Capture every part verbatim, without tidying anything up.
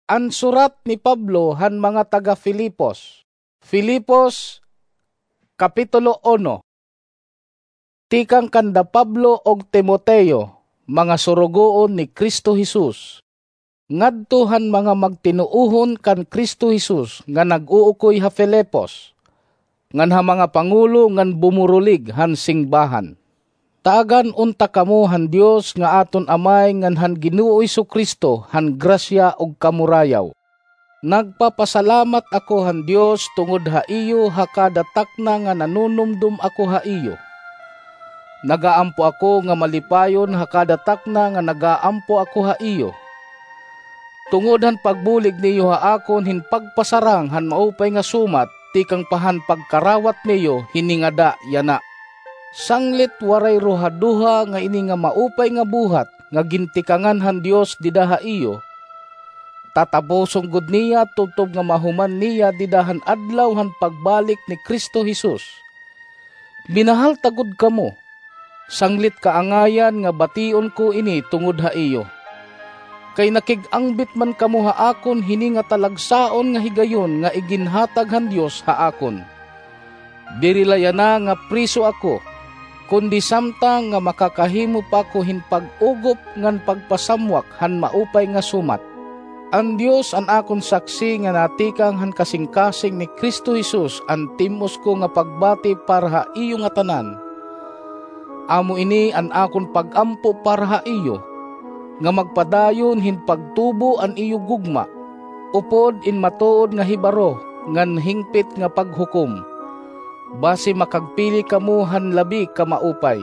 An surat ni Pablo han mga taga Filipos. Filipos, Kapitulo uno. Tikang kanda Pablo ug Timoteo, mga surugoon ni Cristo Jesus, ngadto han mga magtinuohon kan Cristo Jesus nga nag-uukoy ha Filipos, ngan ha mga pangulo ngan bumurulig han singbahan. Taagan unta kamo han Dios nga aton Amay ngan han Ginoo Jesu-Cristo han grasya ug kamurayaw. Nagpapasalamat ako han Dios tungod ha iyo ha kada takna nga nanunumdom ako ha iyo. Nagaampo ako nga malipayon ha kada takna nga nagaampo ako ha iyo, tungod han pagbulig niyo ha akon hin pagpasarang han maupay nga sumat tikang pa han pagkarawat niyo hini ngada yana. Sanglit waray ruhaduha nga ini nga maupay nga buhat nga gintikangan han Dios dida ha iyo, tatapuson gud niya tubtob nga mahuman niya dida han adlaw han pagbalik ni Cristo Jesus. Minahal ta gud kamo, sanglit kaangayan nga bation ko ini tungod ha iyo. Kay nakig-angbit man kamo ha akon hini nga talagsaon nga higayon nga iginhatag han Dios ha akon. Diri la yana nga priso ako, kundi samtang nga makakahimo pa ako hin pag-ugop ngan pagpasamwak han maupay nga sumat. An Dios an akon saksi nga natikang han kasingkasing ni Cristo Jesus an tim-os ko nga pagbati para ha iyo ngatanan. Amo ini an akon pag-ampo para ha iyo, nga magpadayon hin pagtubo an iyo gugma, upod in matuod nga hibaro ngan hingpit nga paghukom, basi makagpili kamo han labi ka maupay,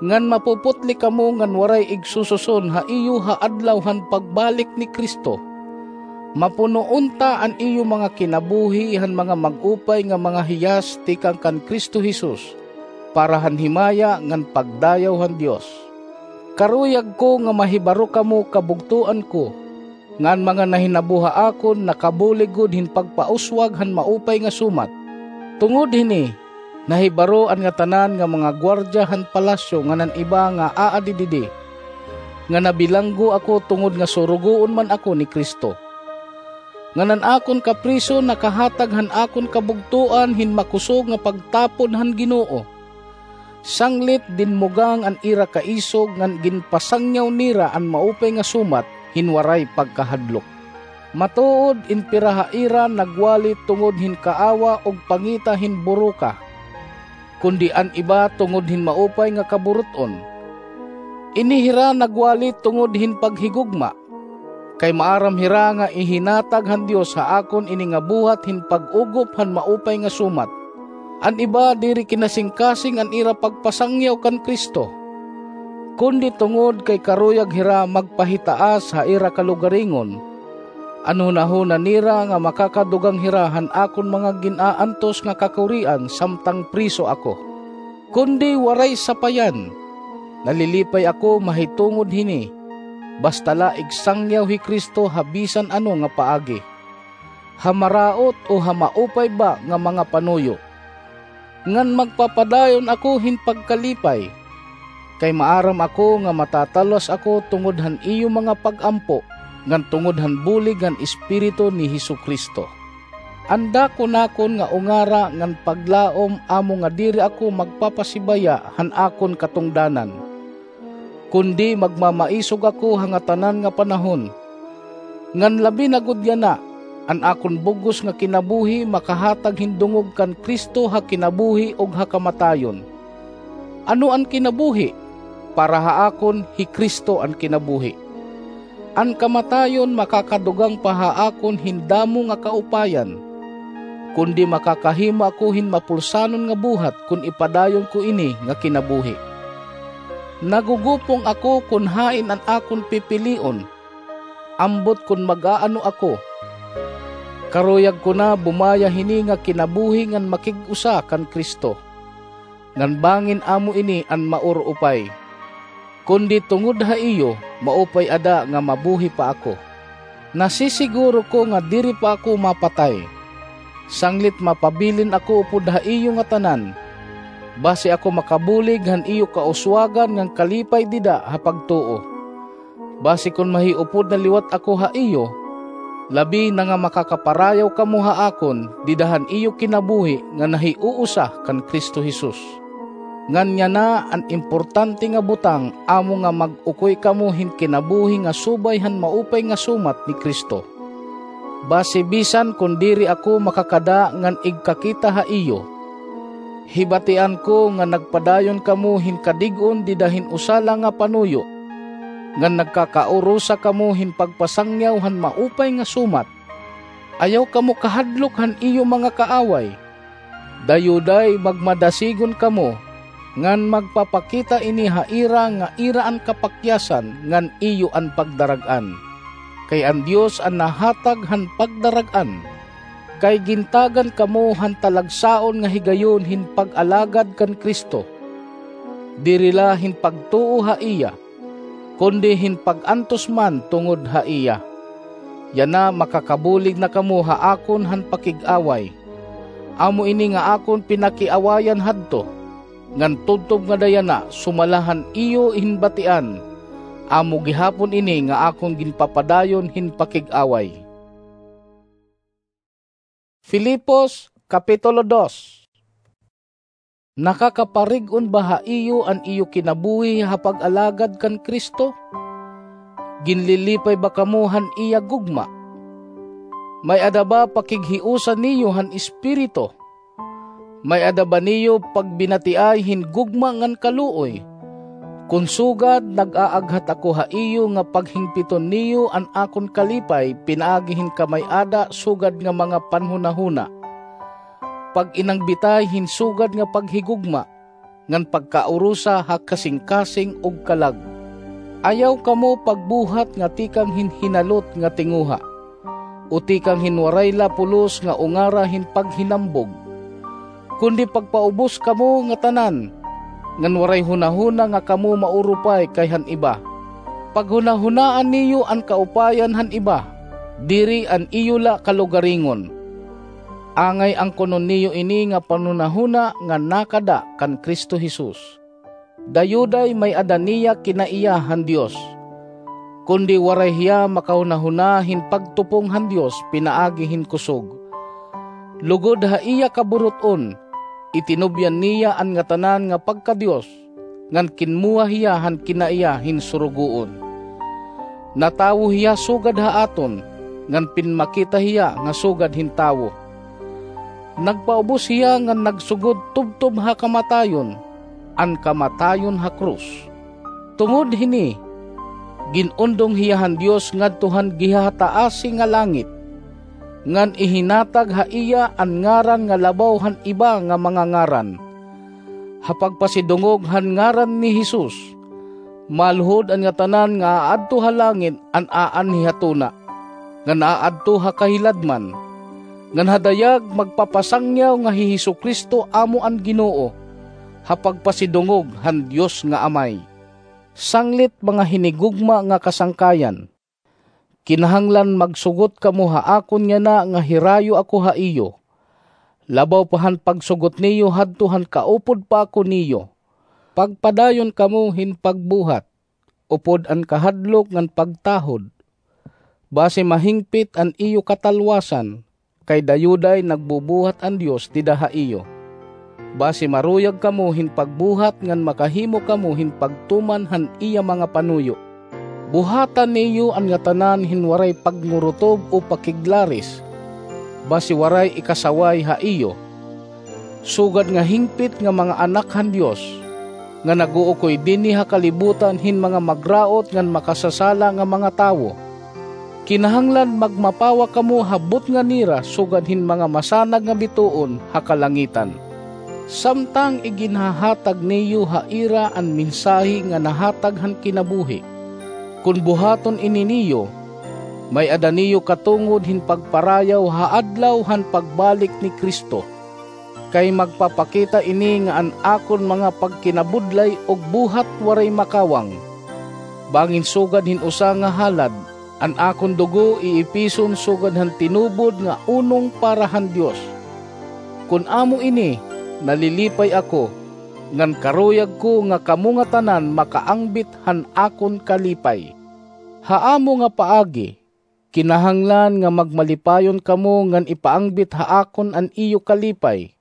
ngan mapuputli kamo ngan waray igsususon ha iyo ha adlaw han pagbalik ni Cristo. Mapuno unta an iyo mga kinabuhi han mga mag-upay nga mga hiyas tikang kan Cristo Jesus, para han himaya ngan pagdayaw han Dios. Karuyag ko nga mahibaro kamo kabugtoan ko, nga an mga nahinabo ha akon nakabulig gud hin pagpauswag han maupay nga sumat. Tungod hini, nahibaro an ngatanan nga mga guwardiya han palasyo ngan an iba nga aadi didi, nga nabilanggo ako tungod nga surugoon man ako ni Cristo. Ngan an akon kapriso nakahatag han akon kabugtoan hin makusog nga pagtapod han Ginoo. Sanglit dinmugang an ira kaisog ngan ginpasangyaw nira an maupay nga sumat hin waray pagkahadlok. Matuod in pira ha ira nagwali tungod hin kaawa ug pangita hin buroka, kundi an iba tungod hin maupay nga kaburut-on. Ini hira nagwali tungod hin paghigugma, kay maaram hira nga ihinatag han Dios ha akon ini nga buhat hin pag-ugop han maupay nga sumat. An iba diri kinasingkasing an ira pagpasangyaw kan Cristo, kundi tungod kay karuyag hira magpahitaas ha ira kalugaringon, an hunahuna nira nga makakadugang hira han akon mga gin-aantos nga kakurian samtang priso ako. Kundi waray sapayan, nalilipay ako mahitungod hini, basta la igsangyaw hi Cristo ha bisan ano nga paagi, ha maraot o ha maupay ba nga mga panuyo. Ngan magpapadayon ako hin pagkalipay, kay maaram ako nga matatalwas ako tungod han iyo mga pag-ampo ngan tungod han bulig han Espiritu ni Jesu-Cristo. An dako nakon nga ungara ngan paglaom amo nga diri ako magpapasibaya han akon katungdanan, kundi magmamaisog ako ha ngatanan nga panahon. Ngan labi na gud yana, an akon bug-os nga kinabuhi makahatag hin dungog kan Cristo ha kinabuhi ug ha kamatayon. Ano an kinabuhi? Para ha akon, hi Cristo an kinabuhi. An kamatayon makakadugang pa ha akon hin damo nga kaupayan, kundi makakahimo ako hin mapulsanon nga buhat kon ipadayon ko ini nga kinabuhi. Nagugupong ako kon hain an akon pipilion, ambot kon mag-aano ako. Karuyag ko na bumaya hini nga kinabuhi ngan makig-usa kan Cristo, ngan bangin amo ini an maurupay. Kundi tungod ha iyo, maupay ada nga mabuhi pa ako. Nasisiguro ko nga diri pa ako mapatay, sanglit mapabilin ako upod ha iyo ngatanan, basi ako makabulig han iyo kauswagan ngan kalipay dida ha pagtuo. Basi kon mahiupod na liwat ako ha iyo, labi na nga makakaparayaw kamo ha akon dida han iyo kinabuhi nga nahiuusa kan Cristo Jesus. Ngan yana an importante nga butang, amo nga mag-ukoy kamo hin kinabuhi nga subay han maupay nga sumat ni Cristo. Basi bisan kon diri ako makakada ngan igkakita ha iyo, hibatian ko nga nagpadayon kamo hin kadig-on dida hin usa la nga panuyo, ngan nagkakaurusa kamo hin pagpasangyaw han maupay nga sumat. Ayaw kamo kahadlok han iyo mga kaaway. Dayuday magmadasigon kamo, ngan magpapakita ini ha ira nga ira an kapakyasan ngan iyo an pagdarag-an. Kay an Dios an nahatag han pagdarag-an. Kay gintagan kamo han talagsaon nga higayon hin pag-alagad kan Cristo, diri la hin pagtuo ha iya, kundi hin pag-antos man tungod ha iya. Yana makakabulig na kamo ha akon han pakig-away. Amo ini nga akon pinakiawayan hadto, ngan tubtob ngada yana sumala han iyo hin batian, amo gihapon ini nga akon ginpapadayon hin pakig-away. Filipos, Kapitulo dos. Nakakaparig-on ba ha iyo an iyo kinabuhi ha pag-alagad kan Cristo? Ginlilipay ba kamo han iya gugma? May-ada ba pakighiusa niyo han Espiritu? May-ada ba niyo pagbinatiay hin gugma ngan kaluoy? Kon sugad, nag-aaghat ako ha iyo nga paghingpiton niyo an akon kalipay pinaagi hin kamay-ada sugad nga mga panhunahuna, pag-inagbitay hin sugad nga paghigugma, ngan pagkaurusa ha kasingkasing ug kalag. Ayaw kamo pagbuhat nga tikang hin hinalot nga tinguha, o tikang hin waray la pulos nga ungara hin paghinambog. Kundi pagpaubos kamo ngatanan, ngan waray hunahuna nga kamo maurupay kay han iba. Paghunahunaa niyo an kaupayan han iba, diri an iyo la kalugaringon. Angay angkonon niyo ini nga panhunahuna nga nakada kan Cristo Jesus. Dayuday may-ada niya kinaiya han Dios, kundi waray hiya makahunahuna hin pagtupong han Dios pinaagi hin kusog. Lugod ha iya kaburut-on, itinubyan niya an ngatanan nga pagka-Dios, ngan kinmuha hiya han kinaiya hin surugoon. Natawo hiya sugad ha aton, ngan pinmakita hiya nga sugad hin tawo. Nagpaubos hiya ngan nagsugod tubtob ha kamatayon, an kamatayon ha krus. Tungod hini, gin-undong hiya han Dios ngadto han gihataasi nga langit, ngan ihinatag ha iya an ngaran nga labaw han iba nga mga ngaran. Ha pagpasidungog han ngaran ni Jesus, maluhod an ngatanan nga aadto ha langit an aanhi ha tuna, ngan aadto ha kahiladman, ngan ha dayag magpapasangyaw nga hi Jesu-Cristo amo an Ginoo, ha pagpasidungog han Dios nga Amay. Sanglit mga hinigugma nga kasangkayan, kinahanglan magsugot kamo ha akon yana nga hirayo ako ha iyo, labaw pa han pagsugot niyo hadto han kaupod pa ako niyo. Pagpadayon kamo hin pagbuhat, upod an kahadlok ngan pagtahod, basi mahingpit an iyo katalwasan, kay dayuday nagbubuhat an Dios dida ha iyo. Basi maruyag kamo hin pagbuhat ngan makahimo kamo hin pagtuman han iya mga panuyo. Buhata niyo an ngatanan hin waray pagngurutob o pakiglaris, basi waray ikasaway ha iyo, sugad nga hingpit nga mga anak han Dios, nga nag-uukoy dinhi ha kalibutan hin mga magraot ngan makasasala nga mga tawo. Kinahanglan magmapawa kamo ha butnga nira sugad hin mga masanag nga bituon ha kalangitan. Samtang iginhahatag niyo ha ira an mensahe nga nahatag han kinabuhi, kon buhaton ini niyo, may-ada niyo katungod hin pagparayaw ha adlaw han pagbalik ni Cristo. Kay magpapakita ini nga an akon mga pagkinabudlay ug buhat waray makawang. Bangin sugad hin usa nga halad, an akon dugo iipison sugad han tinubod nga unong para han Dios. Kon amo ini, nalilipay ako, ngan karuyag ko nga kamo ngatanan makaangbit han akon kalipay. Ha amo nga paagi, Kinahanglan nga magmalipayon kamo ngan ipaangbit ha akon an iyo kalipay.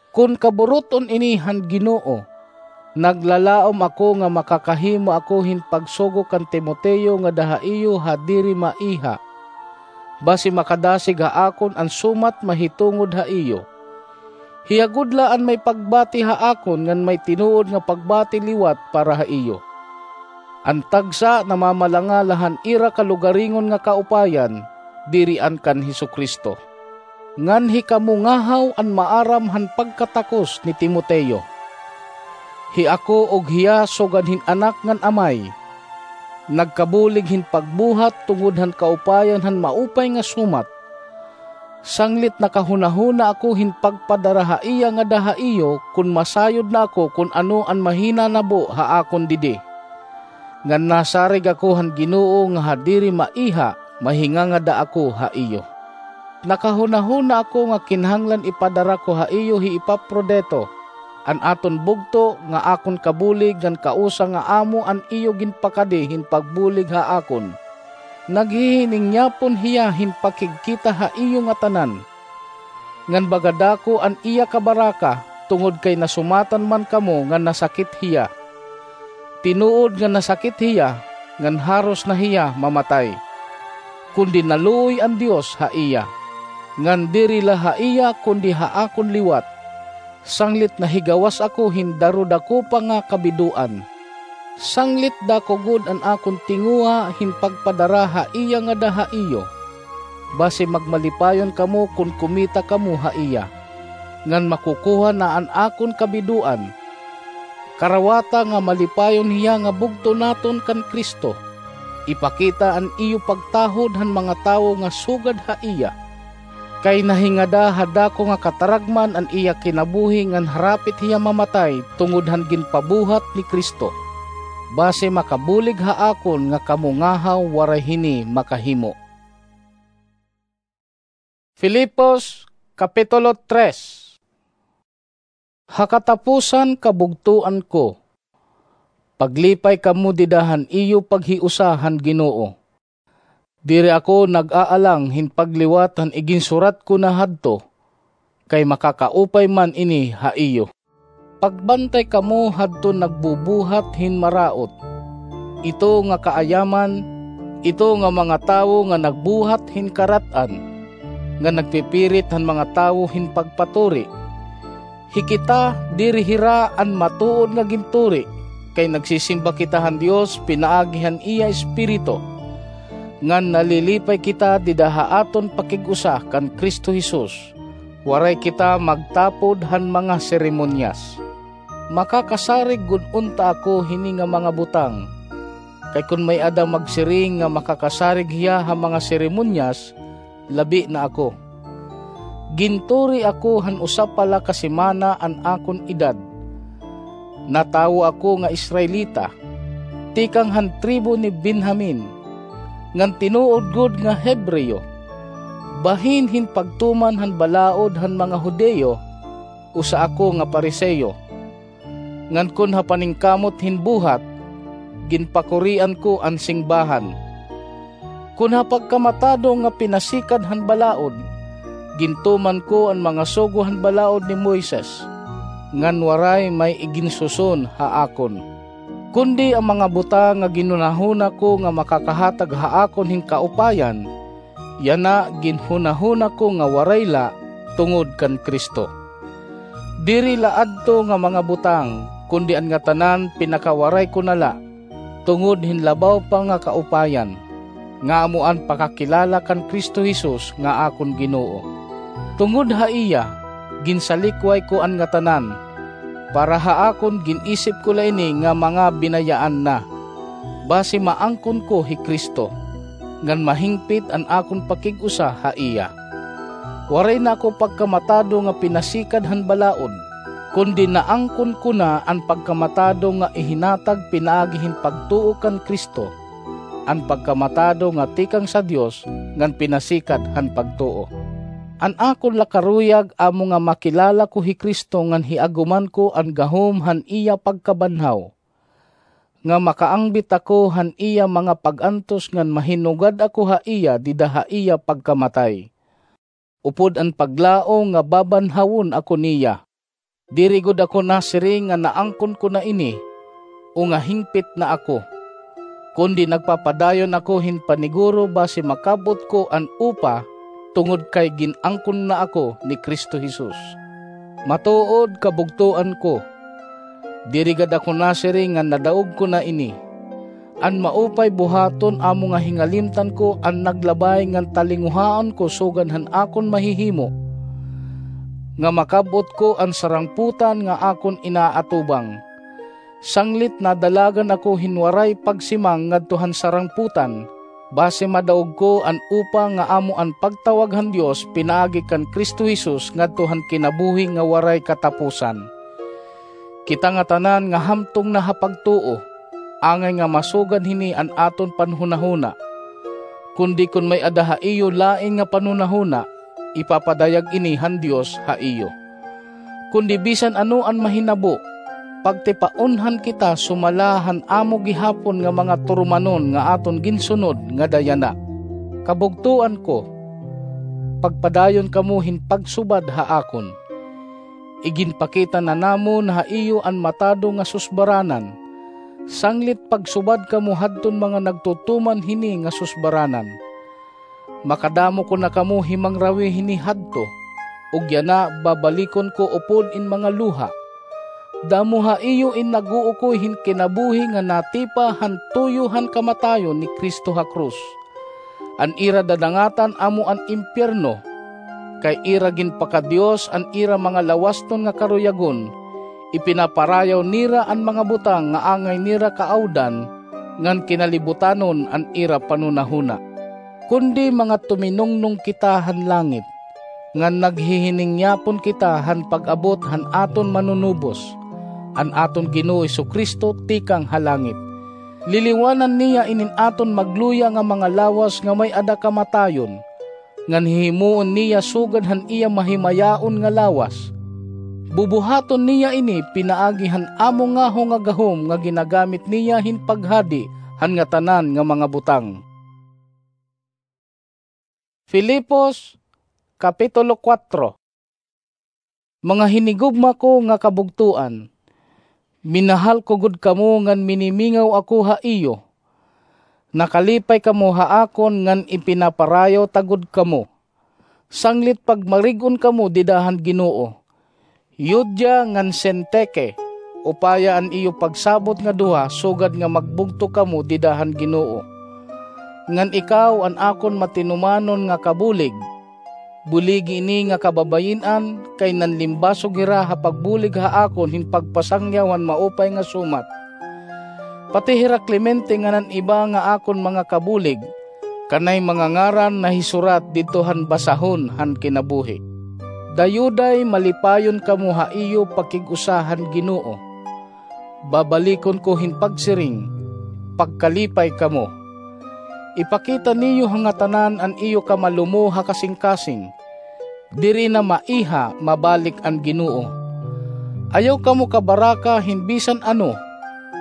Kon kaburut-on ini han Ginoo, naglalaom ako nga makakahimo ako hin pagsugo kan Timoteo ngada ha iyo ha diri maiha, basi makadasig ha akon an sumat mahitungod ha iyo. Hiya gud la an may pagbati ha akon ngan may tinuod nga pagbati liwat para ha iyo. An tagsa namamalanga la han ira kalugaringon nga kaupayan, diri an kan Jesu-Cristo. Ngan hikamo ngahaw an maaram han pagkatakos ni Timoteo. Hi ako ug hiya sugad hin anak ngan amay, nagkabulig hin pagbuhat tungod han kaupayan han maupay nga sumat. Sanglit nakahunahuna ako hin pagpadara ha iya ngada ha iyo kon masayod na ako kon ano an mahinanabo ha akon didi. Ngan nasarig ako han Ginoo nga ha diri maiha mahingangada ako ha iyo. Nakahunahuna ako nga kinahanglan ipadara ko ha iyo hi Epafrodito, an aton bugto nga akon kabulig ngan kausa nga amo an iyo ginpakadi hin pagbulig ha akon. Naghihiningyapon hiya hin pakigkita ha iyo ngatanan. Ngan baga dako an iya kabaraka, tungod kay nasumatan man kamo nga nasakit hiya. Tinuod nga nasakit hiya, ngan haros na hiya mamatay. Kundi naluoy an Dios ha iya. Ngan diri la ha iya kundi ha akon liwat, sanglit nahigawas ako hin darudakupa nga kabidoan. Sanglit dako gud an akon tinguha hin pagpadara ha iya ngada ha iyo. Basi magmalipayon kamo kon kumita kamo ha iya, ngan makukuha na an akon kabidoan. Karawata nga malipayon hiya nga bugto naton kan Cristo. Ipakita an iyo pagtahod han mga tawo nga sugad ha iya. Kay nahingada ha dako nga kataragman an iya kinabuhi ngan harapit hiya mamatay tungod han ginpabuhat ni Cristo. Basi makabulig ha akon nga kamo ngahaw waray hini makahimo. Filipos, Kapitulo tres. Ha katapusan, kabugtoan ko, paglipay kamo dida han iyo paghiusa han Ginoo. Diri ako nag-aalang hin pagliwat han iginsurat ko na hadto, kay makakaupay man ini ha iyo. Pagbantay kamo hadton nagbubuhat hin maraot, ito nga kaayaman, ito nga mga tawo nga nagbuhat hin karat-an, nga nagpipirit han mga tawo hin pagpaturi. Hikita, diri hira an matuod nga ginturi, kay nagsisimba kita han Dios pinaagi han iya Espiritu. Ngan nalilipay kita dida ha aton pakig-usa kan Cristo Jesus. Waray kita magtapod han mga seremonyas. Makakasarig gud unta ako hini nga mga butang. Kay kon may-ada magsiring nga makakasarig hiya ha mga seremonyas, labi na ako. Ginturi ako han usa pa la ka semana an akon edad. Natawo ako nga Israelita, tikang han tribo ni Benjamin, ngan tinuod gud nga Hebreo. Bahin hin pagtuman han balaod han mga Judio, usa ako nga Fariseo. Ngan kon ha paningkamot hin buhat, ginpakurian ko an singbahan. Kon ha pagkamatado nga pinasikad han balaod, gintuman ko an mga sugo han balaod ni Moises, ngan waray may iginsuson ha akon. Kundi an mga butang nga ginhunahuna ko nga makakahatag ha akon hin kaupayan, yana ginhunahuna ko nga waray la tungod kan Cristo. Diri la adto nga mga butang, kundi an ngatanan pinakawaray ko na la, tungod hin labaw pa nga kaupayan, nga amo an pakakilala kan Cristo Jesus nga akon Ginoo. Tungod ha iya, ginsalikway ko an ngatanan, para ha akon gin-isip ko la ini nga mga binayaan na, basi maangkon ko hi Cristo, ngan mahingpit an akon pakig-usa ha iya. Waray na ako pagkamatado nga pinasikad han balaod, kundi naangkon ko na an pagkamatado nga ihinatag pinaagi hin pagtuo kan Cristo, an pagkamatado nga tikang sa Dios ngan pinasikad han pagtuo. An akon la karuyag amo nga makilala ko hi Cristo ngan hiaguman ko an gahom han iya pagkabanhaw, nga makaangbit ako han iya mga pag-antos ngan mahinugad ako ha iya dida ha iya pagkamatay, upod an paglao nga babanhawon ako niya. Diri gud ako nasiring nga naangkon ko na ini, o nga hingpit na ako, kundi nagpapadayon ako hin paniguro basi makab-ot ko an upa, tungod kay gin-angkon na ako ni Cristo Jesus. Matuod, kabugtoan ko, diri gad ako nasiring nga nadaog ko na ini. An maupay buhaton amo nga hingalimtan ko an naglabay ngan talinguhaon ko sugad han akon mahihimo, nga makab-ot ko an sarangpotan nga akon inaatubang. Sanglit nadalagan ako hin waray pagsimang ngadto han sarangpotan, basi madaog ko an upa nga amo an pagtawag han Dios pinaagi kan Cristo Jesus ngadto han kinabuhi nga waray katapusan. Kita ngatanan nga hamtong na ha pagtuo, angay nga masugad hini an aton panhunahuna. Kundi kon may-ada ha iyo lain nga panhunahuna, ipapadayag ini han Dios ha iyo. Kundi bisan ano an mahinabo, pagtipaonhan kita sumala han amo gihapon nga mga turumanon nga aton ginsunod nga dayana. Kabugtoan ko, pagpadayon kamo hin pagsubad ha akon. Iginpakita na namon ha iyo an matado nga susbaranan. Sanglit pagsubad kamo hadton mga nagtutuman hini nga susbaranan. Makadamo ko na kamo himangrawi hini hadto, ug yana babalikon ko upod in mga luha. Damo ha iyo in nag-uukoy hin kinabuhi nga natipa han tuyo han kamatayon ni Cristo ha krus. An ira dadangatan amo an impiyerno, kay ira ginpakadios an ira mga lawasnon nga karuyagon, ipinaparayaw nira an mga butang nga angay nira kaawdan, ngan kinalibutanon an ira panhunahuna. Kundi mga tuminungnong kita han langit, ngan naghihiningyapon kita han pag-abot han aton Manunubos, an aton Ginoo Jesu-Cristo tikang ha langit. Liliwanan niya inin aton magluya nga mga lawas nga may-ada kamatayon, ngan hihimuon niya sugad han iya mahimayaon nga lawas. Bubuhaton niya ini pinaagi han amo ngaho nga gahom nga ginagamit niya hin paghadi han ngatanan nga mga butang. Filipos, Kapitulo kuwatro. Mga hinigugma ko nga kabugtoan, minahal ko gud kamo ngan minimingaw ako ha iyo. Nakalipay kamo ha akon ngan ipinaparayaw ta gud kamo. Sanglit pagmarig-on kamo dida han Ginoo. Euodia ngan Sintike, upaya an iyo pagsabot nga duha sugad nga magbugto kamo dida han Ginoo. Ngan ikaw, an akon matinumanon nga kabulig, buligi ini nga kababayin-an, kay nanlimbasog hira ha pagbulig ha akon hin pagpasangyaw han maupay nga sumat. Pati hira Clemente ngan an iba nga akon mga kabulig, kanay mga ngaran nahisurat didto han basahon han kinabuhi. Dayuday malipayon kamo ha iyo pakig-usa han Ginoo. Babalikon ko hin pagsiring, pagkalipay kamo. Ipakita niyo ha ngatanan an iyo kamalumo ha kasingkasing. Diri na maiha mabalik an Ginoo. Ayaw kamo kabaraka hin bisan ano,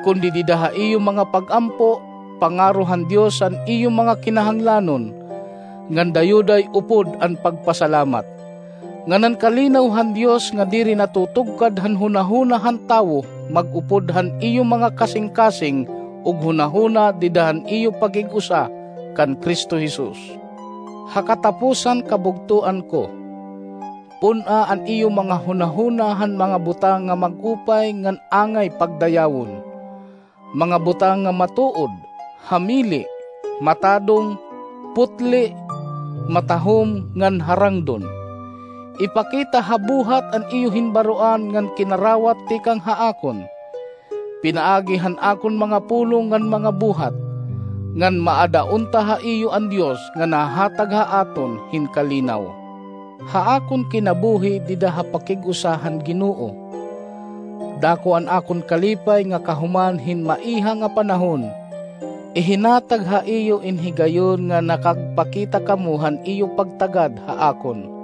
kundi dida ha iyo mga pag-ampo, pangaro han Dios an iyo mga kinahanglanon, ngan dayuday upod an pagpasalamat. Ngan an kalinaw han Dios nga diri natutugkad han hunahuna han tawo mag-upod han iyo mga kasingkasing ug hunahuna dida han iyo pakig-usa kan Cristo Jesus. Ha katapusan, kabugtoan ko, pun-a an iyo mga hunahuna han mga butang nga mag-upay ngan angay pagdayawon, mga butang nga matuod, hamili, matadong, putli, matahom, ngan harangdon. Ipakita ha buhat an iyo hinbaroan ngan kinarawat tikang ha akon, pinaagi han akon mga pulong ngan mga buhat, ngan maada unta ha iyo an Dios nga nahatag ha aton hin kalinaw. Ha akon kinabuhi dida ha pakig-usa han Ginoo, dako an akon kalipay nga kahuman hin maiha nga panahon, ihinatag ha iyo in higayon nga nakagpakita kamo han iyo pagtagad ha akon.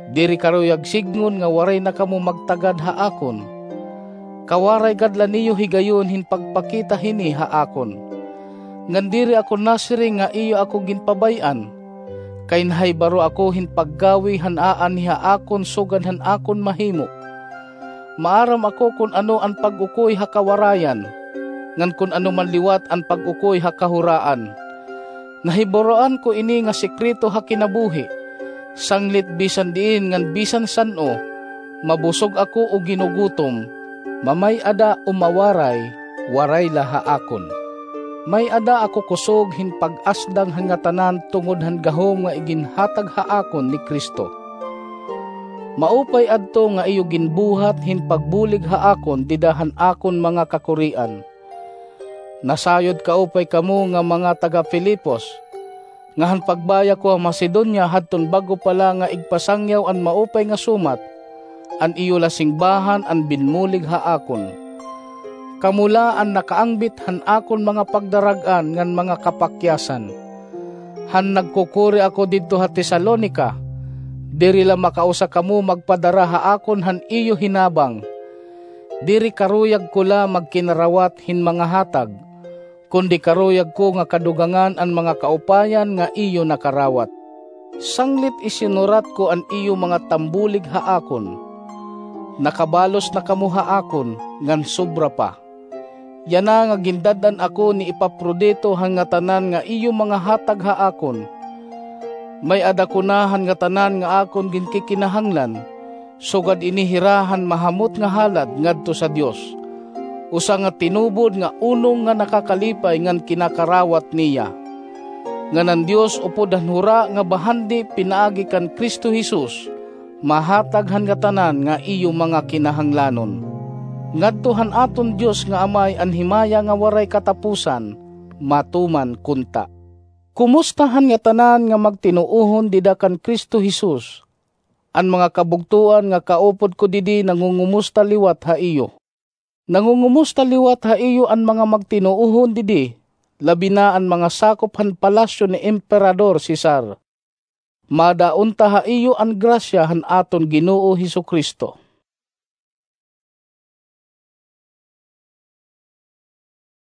Diri karuyag sidngon nga waray na kamo magtagad ha akon. Kawaray gad la niyo higayon hin pagpakita hini ha akon. Ngan diri ako nasiring nga iyo ako ginpabay-an, kay nahibaro ako hin paggawi han aanhi ha akon sugad han akon mahimo. Maaram ako kon ano an pag-ukoy ha kawarayan, ngan kon ano man liwat an pag-ukoy ha kahuraan. Nahibaroan ko ini nga sekreto ha kinabuhi, sanglit bisan diin ngan bisan san-o, mabusog ako o ginugutom, mamay-ada o mawaray, waray la ha akon. May-ada ako kusog hin pag-asdang han ngatanan tungod han gahom nga iginhatag ha akon ni Cristo. Maupay adto nga iyo ginbuhat hin pagbulig ha akon dida han akon mga kakurian. Nasayod kaupay kamo nga mga taga-Filipos, nga han pagbaya ko ha Macedonia hadton bag-o pa la nga igpasangyaw an maupay nga sumat, an iyo la singbahan an binmulig ha akon. Kamo la an nakaangbit han akon mga pagdarag-an ngan mga kapakyasan. Han nagkukuri ako didto ha Tesalonica, diri la makausa kamo magpadara ha akon han iyo hinabang. Diri karuyag ko la magkinarawat hin mga hatag, kundi karuyag ko nga kadugangan an mga kaupayan nga iyo nakarawat. Sanglit isinurat ko an iyo mga tambulig ha akon. Nakabalos na kamo ha akon, ngan sobra pa. Yana nga gindad-an ako ni Epafrodito han ngatanan nga iyo mga hatag ha akon. May-ada ko na han ngatanan nga akon ginkikinahanglan, sugad ini hira han mahamot nga halad ngadto sa Dios, usa nga tinubod nga unong nga nakakalipay ngan kinakarawat niya. Ngan an Dios upod han hura nga bahandi pinaagi kan Cristo Jesus, mahatag han ngatanan nga iyo mga kinahanglanon. Ngadto han aton Dios nga Amay an himaya nga waray katapusan, matuman kunta. Kumusta han ngatanan nga magtinuohon dida kan Cristo Jesus? An mga kabugtoan nga kaupod ko didi nangungumusta liwat ha iyo. Nangungumusta liwat ha iyo an mga magtinuohon didi, labi na an mga sakop han palasyo ni Emperador Cesar. Mada unta ha iyo an grasya han aton Ginoo Jesu-Cristo.